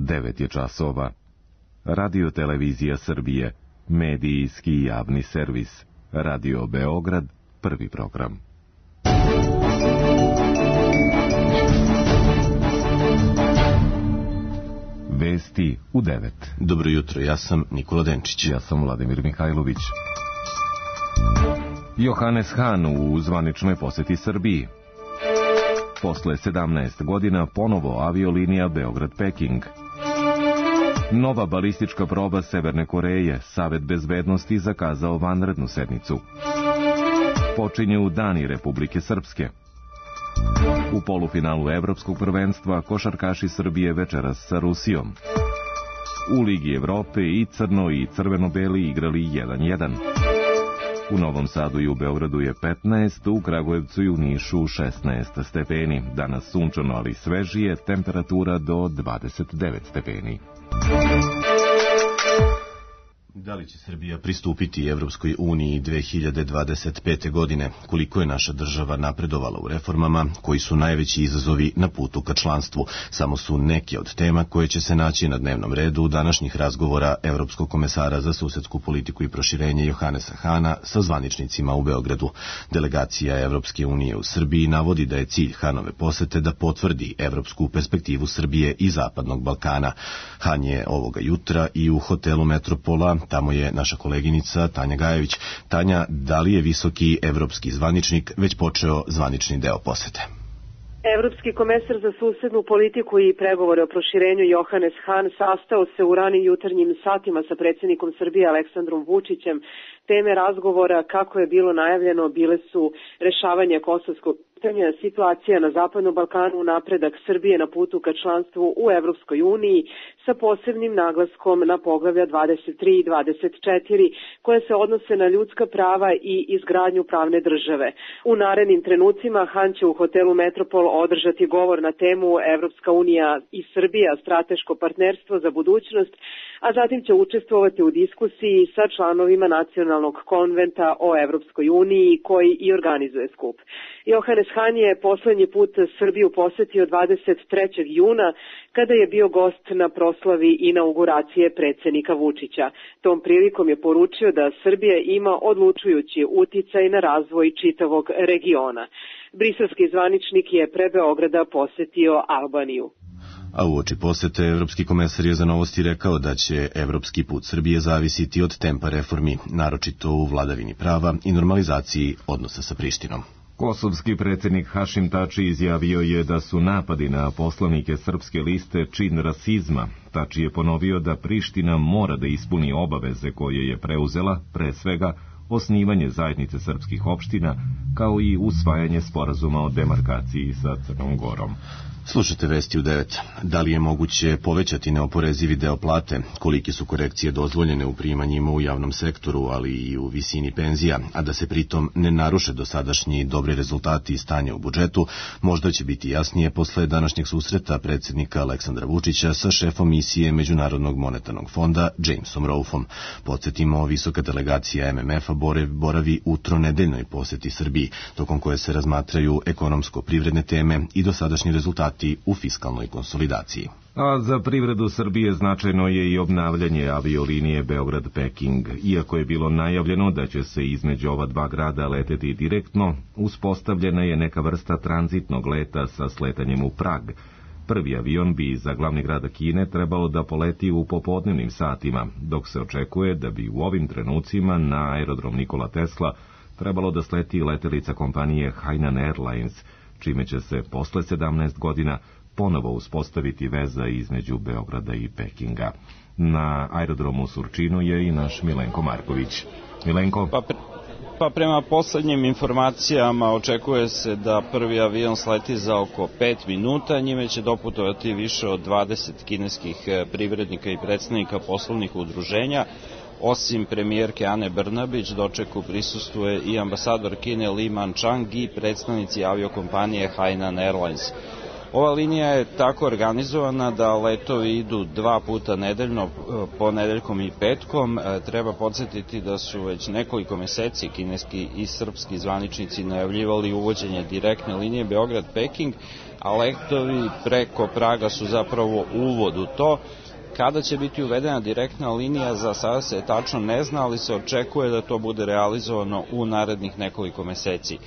9 je časova. Radio Televizija Srbije, medijski javni servis. Radio Beograd, prvi program. Vesti u 9. Dobro jutro, ja sam Nikola Denčić. Ja sam Vladimir Mihajlović. Johannes Hahn u zvaničnoj poseti Srbiji. Posle 17 godina ponovo aviolinija Beograd-Peking. Nova balistička proba Severne Koreje, Savet bezbednosti zakazao vanrednu sednicu. Počinju Dani Republike Srpske. U polufinalu Evropskog prvenstva košarkaši Srbije večeras sa Rusijom. U Ligi Evrope i crno i crveno-beli igrali 1-1. U Novom Sadu i u Beogradu je 15, u Kragujevcu i u Nišu 16 stepeni. Danas sunčano, ali svežije, temperatura do 29 stepeni. Da li će Srbija pristupiti Evropskoj uniji 2025. godine? Koliko je naša država napredovala u reformama? Koji su najveći izazovi na putu ka članstvu? Samo su neke od tema koje će se naći na dnevnom redu današnjih razgovora Evropskog komesara za susedsku politiku i proširenje Johannesa Hahna sa zvaničnicima u Beogradu. Delegacija Evropske unije u Srbiji navodi da je cilj Hahnove posete da potvrdi evropsku perspektivu Srbije i Zapadnog Balkana. Hahn je ovoga jutra i u hotelu Metropola. Tamo je naša koleginica Tanja Gajević. Tanja, da li je visoki evropski zvaničnik već počeo zvanični deo posete? Evropski komesar za susednu politiku i pregovore o proširenju Johannes Hahn sastao se u ranim jutarnjim satima sa predsjednikom Srbije Aleksandrom Vučićem. Teme razgovora, kako je bilo najavljeno, bile su rešavanje kosovskog pitanja, situacija na Zapadnom Balkanu, napredak Srbije na putu ka članstvu u Evropskoj uniji sa posebnim naglaskom na poglavlja 23 i 24 koje se odnose na ljudska prava i izgradnju pravne države. U narednim trenucima Hahn će u hotelu Metropol održati govor na temu Evropska unija i Srbija, strateško partnerstvo za budućnost, a zatim će učestvovati u diskusiji sa članovima Nacionalnog konventa o Evropskoj uniji koji i organizuje skup. Johannes Hahn je poslednji put Srbiju posetio 23. juna kada je bio gost na proslavi inauguracije predsjednika Vučića. Tom prilikom je poručio da Srbija ima odlučujući uticaj na razvoj čitavog regiona. Briselski zvaničnik je pre Beograda posetio Albaniju. A uoči posete, Evropski komesar je za Novosti rekao da će evropski put Srbije zavisiti od tempa reformi, naročito u vladavini prava i normalizaciji odnosa sa Prištinom. Kosovski predsjednik Hašim Tači izjavio je da su napadi na poslanike Srpske liste čin rasizma. Tači je ponovio da Priština mora da ispuni obaveze koje je preuzela, pre svega osnivanje zajednice srpskih opština, kao i usvajanje sporazuma o demarkaciji sa Crnom Gorom. Slušajte Vesti u 9. Da li je moguće povećati neoporezivi deo plate? Kolike su korekcije dozvoljene u primanjima u javnom sektoru, ali i u visini penzija, a da se pritom ne naruše dosadašnji dobri rezultati i stanje u budžetu? Možda će biti jasnije posle današnjeg susreta predsjednika Aleksandra Vučića sa šefom misije Međunarodnog monetarnog fonda Jamesom Rolfom. Podsjetimo, visoka delegacija MMF-a boravi u tronedeljnoj poseti Srbiji, tokom koje se razmatraju ekonomsko-privredne teme i dosadašnji rezultati u fiskalnoj konsolidaciji. A za privredu Srbije značajno je i obnavljanje aviolinije Beograd-Peking. Iako je bilo najavljeno da će se između ova dva grada leteti direktno, uspostavljena je neka vrsta tranzitnog leta sa sletanjem u Prag. Prvi avion bi za glavni grad Kine trebalo da poleti u popodnevnim satima, dok se očekuje da bi u ovim trenucima na aerodrom Nikola Tesla trebalo da sleti letelica kompanije Hainan Airlines, čime će se posle 17 godina ponovo uspostaviti veza između Beograda i Pekinga. Na aerodromu u Surčinu je i naš Milenko Marković. Milenko? Pa prema poslednjim informacijama očekuje se da prvi avion sleti za oko 5 minuta, njime će doputovati više od 20 kineskih privrednika i predstavnika poslovnih udruženja. Osim premijerke Ane Brnabić, dočeku prisustvuje i ambasador Kine Li Manchang i predstavnici aviokompanije Hainan Airlines. Ova linija je tako organizovana da letovi idu 2 puta nedeljno, ponedeljkom i petkom. Treba podsjetiti da su već nekoliko meseci kineski i srpski zvaničnici najavljivali uvođenje direktne linije Beograd-Peking, a letovi preko Praga su zapravo uvod u to. Kada će biti uvedena direktna linija, za sada se tačno ne zna, ali se očekuje da to bude realizovano u narednih nekoliko meseci.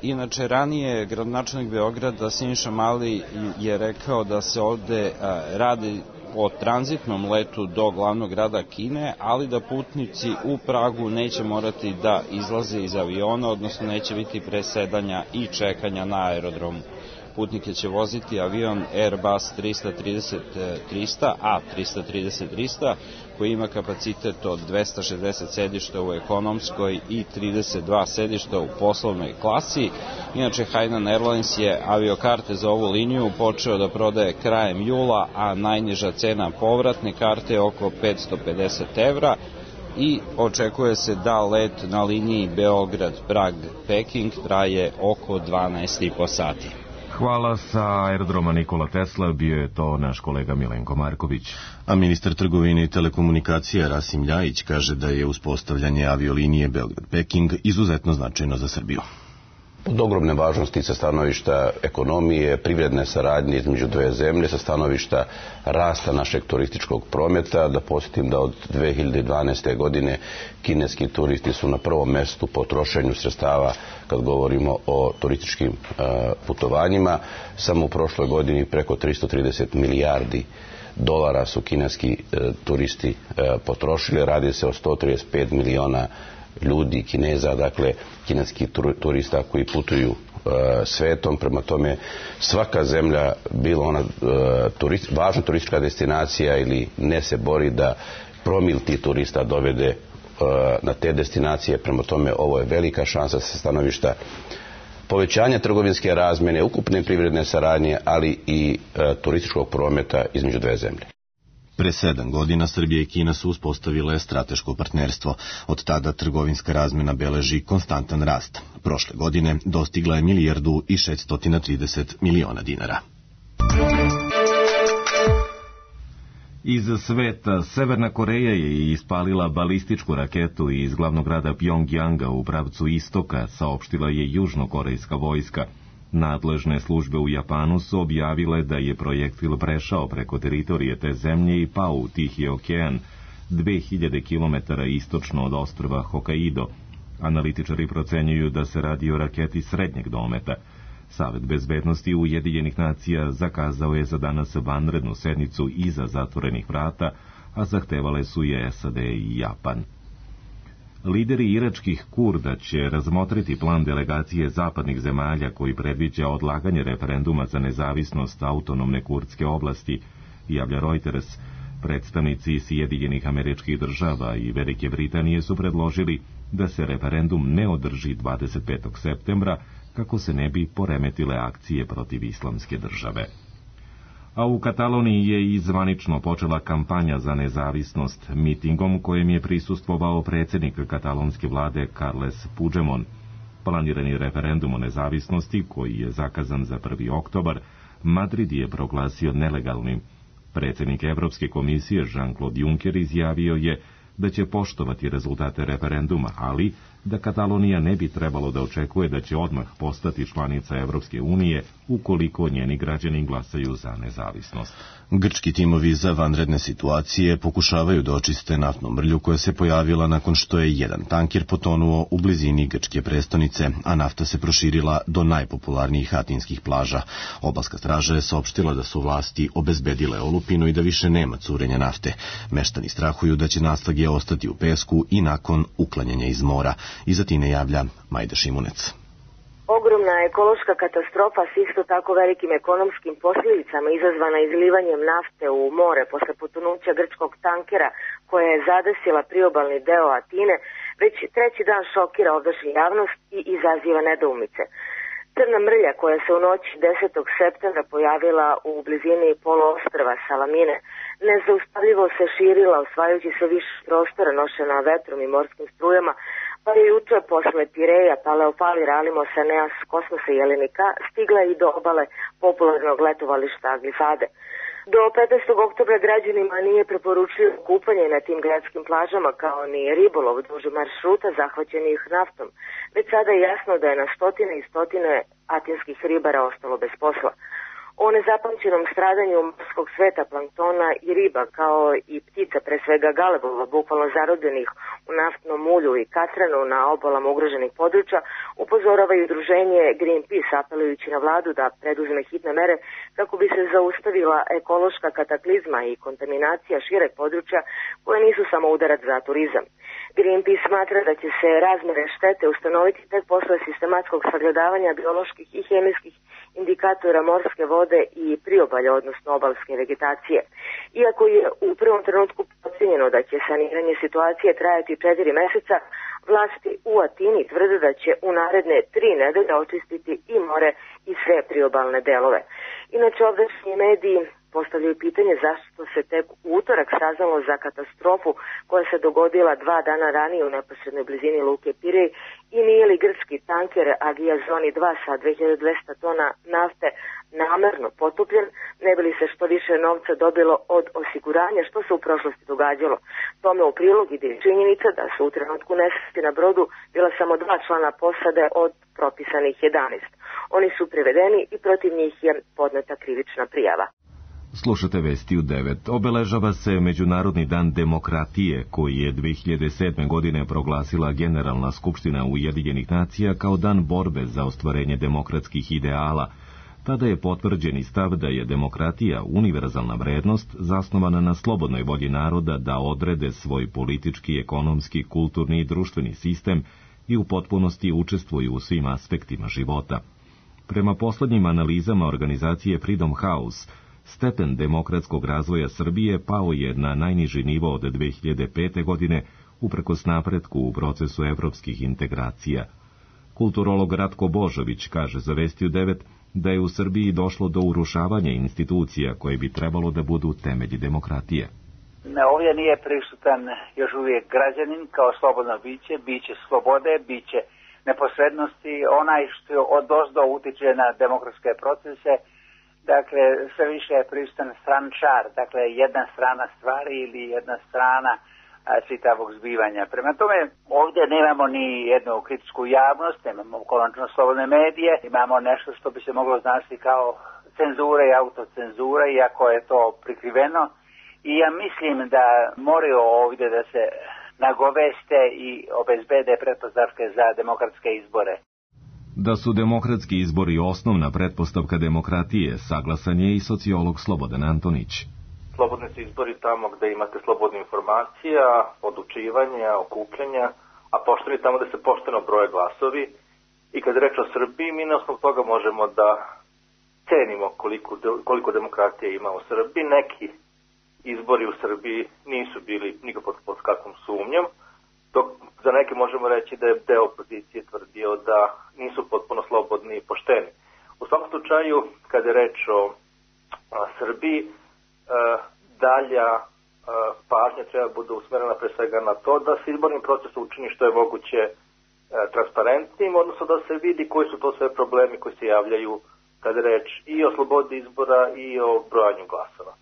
Inače, ranije gradonačelnik Beograda Siniša Mali je rekao da se ovde radi o tranzitnom letu do glavnog grada Kine, ali da putnici u Pragu neće morati da izlaze iz aviona, odnosno neće biti presedanja i čekanja na aerodromu. Putnike će voziti avion Airbus 330-300, A330-300, koji ima kapacitet od 260 sedišta u ekonomskoj i 32 sedišta u poslovnoj klasi. Inače, Hainan Airlines je aviokarte za ovu liniju počeo da prodaje krajem jula, a najniža cena povratne karte je oko 550 evra i očekuje se da let na liniji Beograd-Prag-Peking traje oko 12,5 sati. Hvala. Sa aerodroma Nikola Tesla bio je to naš kolega Milenko Marković. A ministar trgovine i telekomunikacija Rasim Ljajić kaže da je uspostavljanje aviolinije Beograd-Peking izuzetno značajno za Srbiju. Od ogromne važnosti sa stanovišta ekonomije, privredne saradnje između dve zemlje, sa stanovišta rasta našeg turističkog prometa. Da podsjetim da od 2012. godine kineski turisti su na prvom mestu po trošenju sredstava kad govorimo o turističkim putovanjima. Samo u prošloj godini preko 330 milijardi dolara su kineski turisti potrošili. Radi se o 135 miliona ljudi, Kineza, dakle kineskih turista koji putuju svetom. Prema tome, svaka zemlja, bilo ona važna turistička destinacija ili ne, se bori da promil tih turista dovede na te destinacije. Prema tome, ovo je velika šansa sa stanovišta povećanja trgovinske razmjene, ukupne privredne saradnje, ali i turističkog prometa između dve zemlje. Pre 7 godina Srbija i Kina su uspostavile strateško partnerstvo. Od tada trgovinska razmjena beleži konstantan rast. Prošle godine dostigla je 1.630 miliona dinara. Iz sveta, Severna Koreja je ispalila balističku raketu iz glavnog grada Pjongjanga u pravcu istoka, saopštila je južnokorejska vojska. Nadležne službe u Japanu su objavile da je projektil prešao preko teritorije te zemlje i pao u Tihi okean, 2000 km istočno od ostrva Hokkaido. Analitičari procenjuju da se radi o raketi srednjeg dometa. Savet bezbednosti Ujedinjenih nacija zakazao je za danas vanrednu sednicu iza zatvorenih vrata, a zahtevale su je SAD i Japan. Lideri iračkih Kurda će razmotriti plan delegacije zapadnih zemalja koji predviđa odlaganje referenduma za nezavisnost autonomne kurdske oblasti, javlja Reuters. Predstavnici Sjedinjenih Američkih Država i Velike Britanije su predložili da se referendum ne održi 25. septembra kako se ne bi poremetile akcije protiv Islamske države. A u Kataloniji je i zvanično počela kampanja za nezavisnost mitingom kojem je prisustvovao predsjednik katalonske vlade Carles Puigdemont. Planirani referendum o nezavisnosti, koji je zakazan za 1. oktobar, Madrid je proglasio nelegalnim. Predsjednik Evropske komisije Jean-Claude Juncker izjavio je da će poštovati rezultate referenduma, ali da Katalonija ne bi trebalo da očekuje da će odmah postati članica Evropske unije ukoliko njeni građani glasaju za nezavisnost. Grčki timovi za vanredne situacije pokušavaju da očiste naftnu mrlju koja se pojavila nakon što je jedan tanker potonuo u blizini grčke prestonice, a nafta se proširila do najpopularnijih atinskih plaža. Obalska straža je saopštila da su vlasti obezbedile olupinu i da više nema curenja nafte. Meštani strahuju da će naslage ostati u pesku i nakon uklanjanja iz mora. Iz Atine javlja Majda Šimunec. Ogromna ekološka katastrofa s isto tako velikim ekonomskim posljedicama izazvana izlivanjem nafte u more posle potonuća grčkog tankera koja je zadesila priobalni deo Atine, već treći dan šokira ovdašnju javnost i izaziva nedoumice. Crna mrlja koja se u noći 10. septembra pojavila u blizini poluostrva Salamine nezaustavljivo se širila, osvajajući sve više prostora nošena vetrom i morskim strujama, pa je juče posle Pireja, Paleopali, Ralimosa, Neas, Kosmosa i Jelenika stigla i do obale popularnog letovališta Glifade. Do 15. oktobra građanima nije preporučljivo kupanje na tim gradskim plažama kao ni ribolov duž maršruta zahvaćenih naftom. Već sada je jasno da je na stotine i stotine atinskih ribara ostalo bez posla. O nezapamćenom stradanju morskog sveta, planktona i riba, kao i ptica, pre svega galebova, bukvalno zarobljenih u naftnom mulju i katranu na obalama ugroženih područja, upozorava i udruženje Greenpeace, apelujući na vladu da preduzme hitne mere kako bi se zaustavila ekološka kataklizma i kontaminacija šireg područja koje nisu samo udarac za turizam. Greenpeace smatra da će se razmere štete ustanoviti tek posle sistematskog sagledavanja bioloških i hemijskih indikatora morske vode i priobalja, odnosno obalske vegetacije. Iako je u prvom trenutku procjenjeno da će saniranje situacije trajati 4 meseca, vlasti u Atini tvrde da će u naredne 3 nedelje očistiti i more i sve priobalne delove. Inače, ovdašnji mediji postavljaju pitanje zašto se tek u utorak saznalo za katastrofu koja se dogodila 2 dana ranije u neposrednoj blizini luke Pirej i nije li grčki tanker Agia Zoni 2 sa 2200 tona nafte namerno potopljen, ne bi li se što više novca dobilo od osiguranja što se u prošlosti događalo. Tome u prilog ide činjenica da su u trenutku nesreće na brodu bila samo 2 člana posade od propisanih 11. Oni su privedeni i protiv njih je podneta krivična prijava. Slušate Vesti u 9. Obeležava se Međunarodni dan demokratije, koji je 2007. godine proglasila Generalna skupština Ujedinjenih nacija kao dan borbe za ostvarenje demokratskih ideala. Tada je potvrđeni stav da je demokratija univerzalna vrednost zasnovana na slobodnoj volji naroda da odrede svoj politički, ekonomski, kulturni i društveni sistem i u potpunosti učestvuju u svim aspektima života. Prema poslednjim analizama organizacije Freedom House, stepen demokratskog razvoja Srbije pao je na najniži nivo od 2005. godine uprkos napretku u procesu evropskih integracija. Kulturolog Ratko Božović kaže za Vesti u 9 da je u Srbiji došlo do urušavanja institucija koje bi trebalo da budu temelji demokratije. Ovdje nije prisutan još uvijek građanin kao slobodno biće slobode, biće neposrednosti, onaj što odozdo utiče na demokratske procese. Dakle, sve više je prisutan strančar, dakle jedna strana stvari ili jedna strana čitavog zbivanja. Prema tome, ovdje nemamo ni jednu kritičku javnost, nemamo konačno slobodne medije, imamo nešto što bi se moglo značiti kao cenzura i autocenzura, iako je to prikriveno. I ja mislim da moraju ovdje da se nagoveste i obezbede pretpostavke za demokratske izbore. Da su demokratski izbori osnovna pretpostavka demokratije, saglasan je i sociolog Slobodan Antonić. Slobodni su izbori tamo gde imate slobodne informacija, odlučivanja, okupljanja, a pošteni tamo gde se pošteno broje glasovi. I kad je reč o Srbiji, mi na osnovu toga možemo da cenimo koliko demokratije ima u Srbiji. Neki izbori u Srbiji nisu bili nikako pod kakvom sumnjom, dok za neke možemo reći da je deo opozicije tvrdio da nisu potpuno slobodni i pošteni. U svakom slučaju, kada je reč o Srbiji, dalja pažnja treba bude usmerena pre svega na to da se izborni proces učini što je moguće transparentnim, odnosno da se vidi koji su to sve problemi koji se javljaju kada je reč i o slobodi izbora i o brojanju glasova.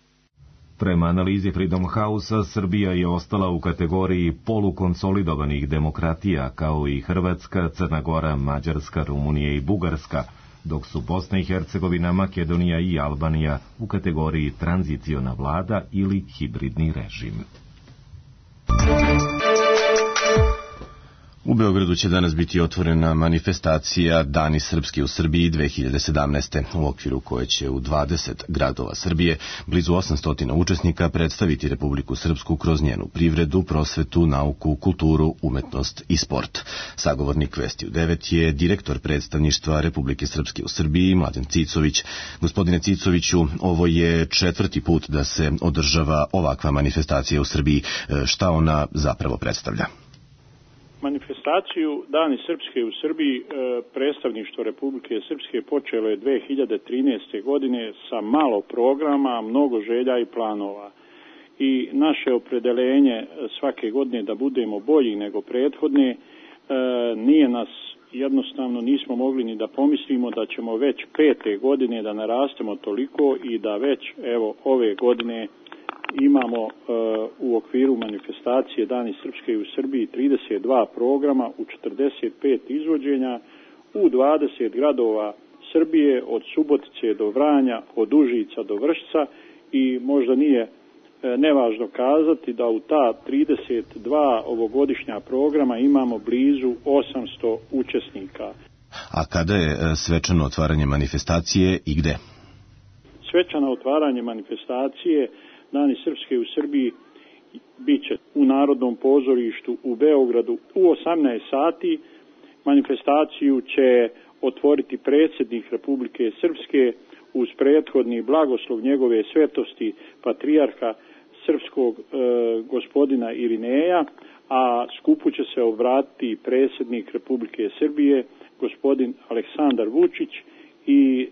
Prema analizi Freedom House-a, Srbija je ostala u kategoriji polukonsolidovanih demokratija, kao i Hrvatska, Crna Gora, Mađarska, Rumunija i Bugarska, dok su Bosna i Hercegovina, Makedonija i Albanija u kategoriji tranziciona vlada ili hibridni režim. U Beogradu će danas biti otvorena manifestacija Dani srpski u Srbiji 2017. u okviru koje će u 20 gradova Srbije blizu 800 učesnika predstaviti Republiku Srpsku kroz njenu privredu, prosvetu, nauku, kulturu, umetnost i sport. Sagovornik Vesti u 9 je direktor predstavništva Republike Srpske u Srbiji, Mladen Cicović. Gospodine Cicoviću, ovo je 4. put da se održava ovakva manifestacija u Srbiji. Šta ona zapravo predstavlja? Manifestaciju Dani srpske u Srbiji predstavništvo Republike Srpske počelo je 2013. godine sa malo programa, mnogo želja i planova. I naše opredeljenje svake godine da budemo bolji nego prethodne, nije nas jednostavno nismo mogli ni da pomislimo da ćemo već 5. godine da narastemo toliko i da već evo ove godine imamo u okviru manifestacije Dani srpske u Srbiji 32 programa u 45 izvođenja u 20 gradova Srbije, od Subotice do Vranja, od Užica do Vršca i možda nije nevažno kazati da u ta 32 ovogodišnja programa imamo blizu 800 učesnika. A kada je svečano otvaranje manifestacije i gde? Svečano otvaranje manifestacije Dani Srpske u Srbiji bit će u Narodnom pozorištu u Beogradu u 18 sati. Manifestaciju će otvoriti predsjednik Republike Srpske uz prethodni blagoslov njegove svetosti patrijarha srpskog gospodina Irineja, a skupu će se obratiti predsjednik Republike Srbije gospodin Aleksandar Vučić i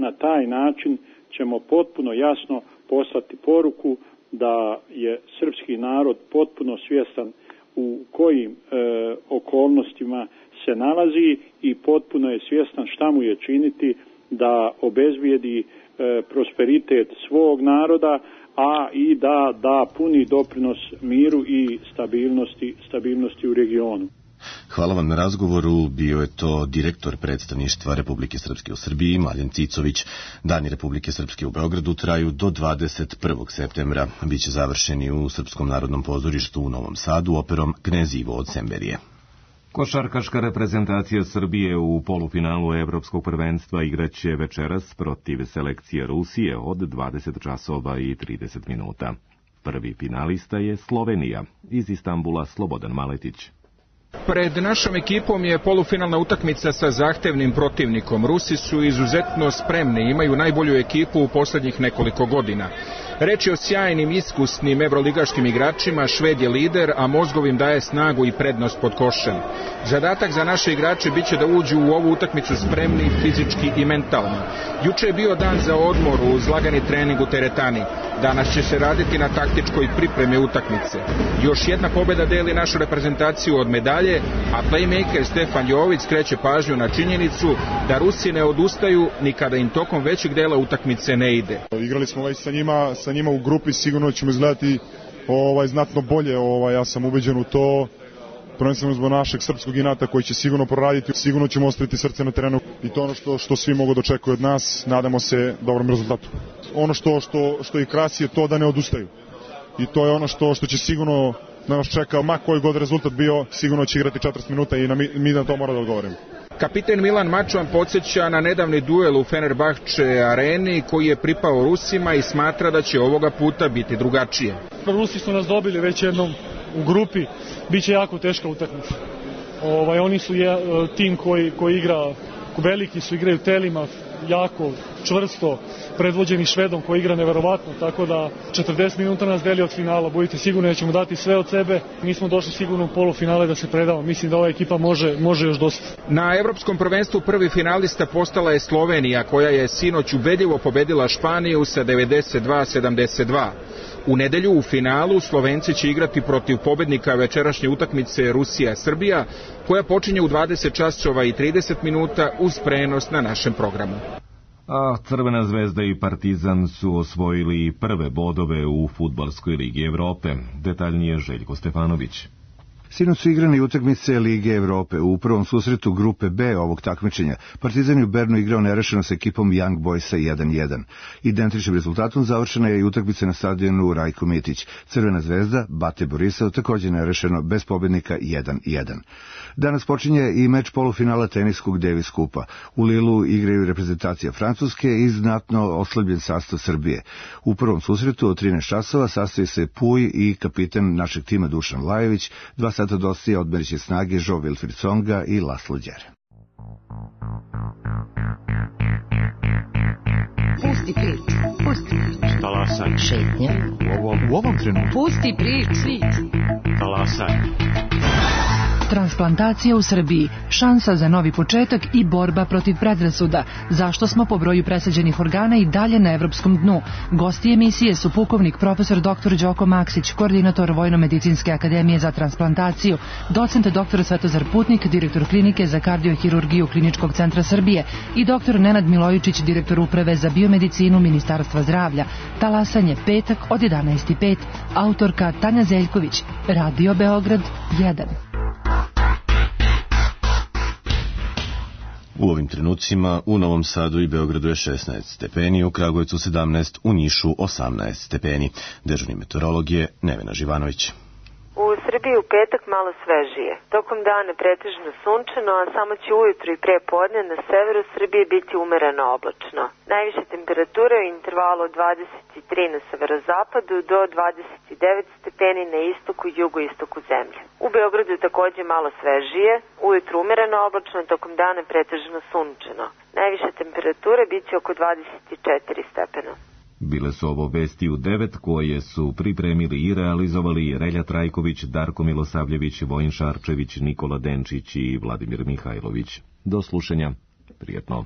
na taj način ćemo potpuno jasno poslati poruku da je srpski narod potpuno svjestan u kojim okolnostima se nalazi i potpuno je svjestan šta mu je činiti da obezbijedi prosperitet svog naroda, a i da puni doprinos miru i stabilnosti u regionu. Hvala vam na razgovoru. Bio je to direktor predstavništva Republike Srpske u Srbiji, Mladen Cicović. Dani Republike Srpske u Beogradu traju do 21. septembra. Biće završeni u Srpskom narodnom pozorištu u Novom Sadu operom Knez Ivo od Semberije. Košarkaška reprezentacija Srbije u polufinalu Evropskog prvenstva igraće večeras protiv selekcije Rusije od 20 časova i 30 minuta. Prvi finalista je Slovenija, iz Istanbula Slobodan Maletić. Pred našom ekipom je polufinalna utakmica sa zahtevnim protivnikom. Rusi su izuzetno spremni, imaju najbolju ekipu u posljednjih nekoliko godina. Reč je o sjajnim, iskusnim evroligaškim igračima, Šved je lider, a mozgovim daje snagu i prednost pod košem. Zadatak za naše igrače biće da uđu u ovu utakmicu spremni fizički i mentalno. Juče je bio dan za odmor uz lagani trening u teretani. Danas će se raditi na taktičkoj pripremi utakmice. Još jedna pobjeda deli našu reprezentaciju od medalje, a playmaker Stefan Jović skreće pažnju na činjenicu da Rusi ne odustaju ni kada im tokom većeg dela utakmice ne ide. Igrali smo već sa njima u grupi, sigurno ćemo izgledati znatno bolje, ja sam ubeđen u to. Prvenstveno zbog našeg srpskog inata koji će sigurno proraditi, sigurno ćemo ostaviti srce na terenu i to ono što svi mogu da očekuju od nas, nadamo se dobrom rezultatu. Ono što ih krasi je to da ne odustaju i to je ono što će sigurno da nas čeka, ma koji god rezultat bio, sigurno će igrati 40 minuta i mi na to mora da odgovorimo. Kapiten Milan Mačvan podsjeća na nedavni duel u Fenerbahče areni koji je pripao Rusima i smatra da će ovoga puta biti drugačije. Rusi su nas dobili već jednom u grupi, bit će jako teška utakmica. Oni su tim koji igra, veliki su, igraju telima, jako čvrsto, predvođeni Švedom koji igra neverovatno, tako da 40 minuta nas deli od finala, budite sigurni da ćemo dati sve od sebe. Mi smo došli sigurno u polufinale da se predamo, mislim da ova ekipa može još dosta. Na Evropskom prvenstvu prvi finalista postala je Slovenija, koja je sinoć ubedljivo pobedila Španiju sa 92-72. U nedelju u finalu Slovenci će igrati protiv pobednika večerašnje utakmice Rusija-Srbija, koja počinje u 20 časova i 30 minuta uz prenos na našem programu. A Crvena zvezda i Partizan su osvojili prve bodove u Fudbalskoj ligi Evrope. Detaljnije Željko Stefanović. Sinoć su igrane utakmice Lige Evrope. U prvom susretu grupe B ovog takmičenja Partizan je u Bernu igrao nerešeno sa ekipom Young Boysa 1-1. Identičnim rezultatom završena je i utakmica na stadionu Rajko Mitić. Crvena zvezda Bate Borisov također nerešeno bez pobednika 1-1. Danas počinje i meč polufinala teniskog Davis Kupa. U Lilu igraju reprezentacija Francuske i znatno oslabljen sastav Srbije. U prvom susretu od 13 časova sastoji se Puj i kapitan našeg tima Dušan Lajević. 2 sata dostije odmeriće snage Jo Wilfried Tsonga i Laslo Đere. Pusti prič. Talasaj. Šetnja. U ovom trenutku. Pusti prič. Talasaj. Transplantacija u Srbiji, šansa za novi početak i borba protiv predrasuda. Zašto smo po broju presađenih organa i dalje na evropskom dnu? Gosti emisije su pukovnik profesor dr. Đoko Maksić, koordinator Vojno-medicinske akademije za transplantaciju, docent dr. Svetozar Putnik, direktor klinike za kardiohirurgiju Kliničkog centra Srbije i dr. Nenad Milojičić, direktor uprave za biomedicinu Ministarstva zdravlja. Talasanje petak od 11:05. Autorka Tanja Zeljković. Radio Beograd 1. U ovim trenucima u Novom Sadu i Beogradu je 16 stepeni, u Kragujevcu 17, u Nišu 18 stepeni. Dežurni meteorolog je Nevena Živanović. U Srbiji u petak malo svežije. Tokom dana pretežno sunčano, a samo će ujutru i pre podne na severu Srbije biti umereno oblačno. Najviše temperature u intervalu od 23 na severozapadu do 29 stepeni na istoku i jugoistoku zemlje. U Beogradu je takođe malo svežije, ujutru umereno oblačno, tokom dana pretežno sunčano. Najviše temperature biće oko 24 stepena. Bile su ovo vesti u 9 koje su pripremili i realizovali Relja Trajković, Darko Milosavljević, Vojin Šarčević, Nikola Denčić i Vladimir Mihajlović. Do slušanja. Prijetno.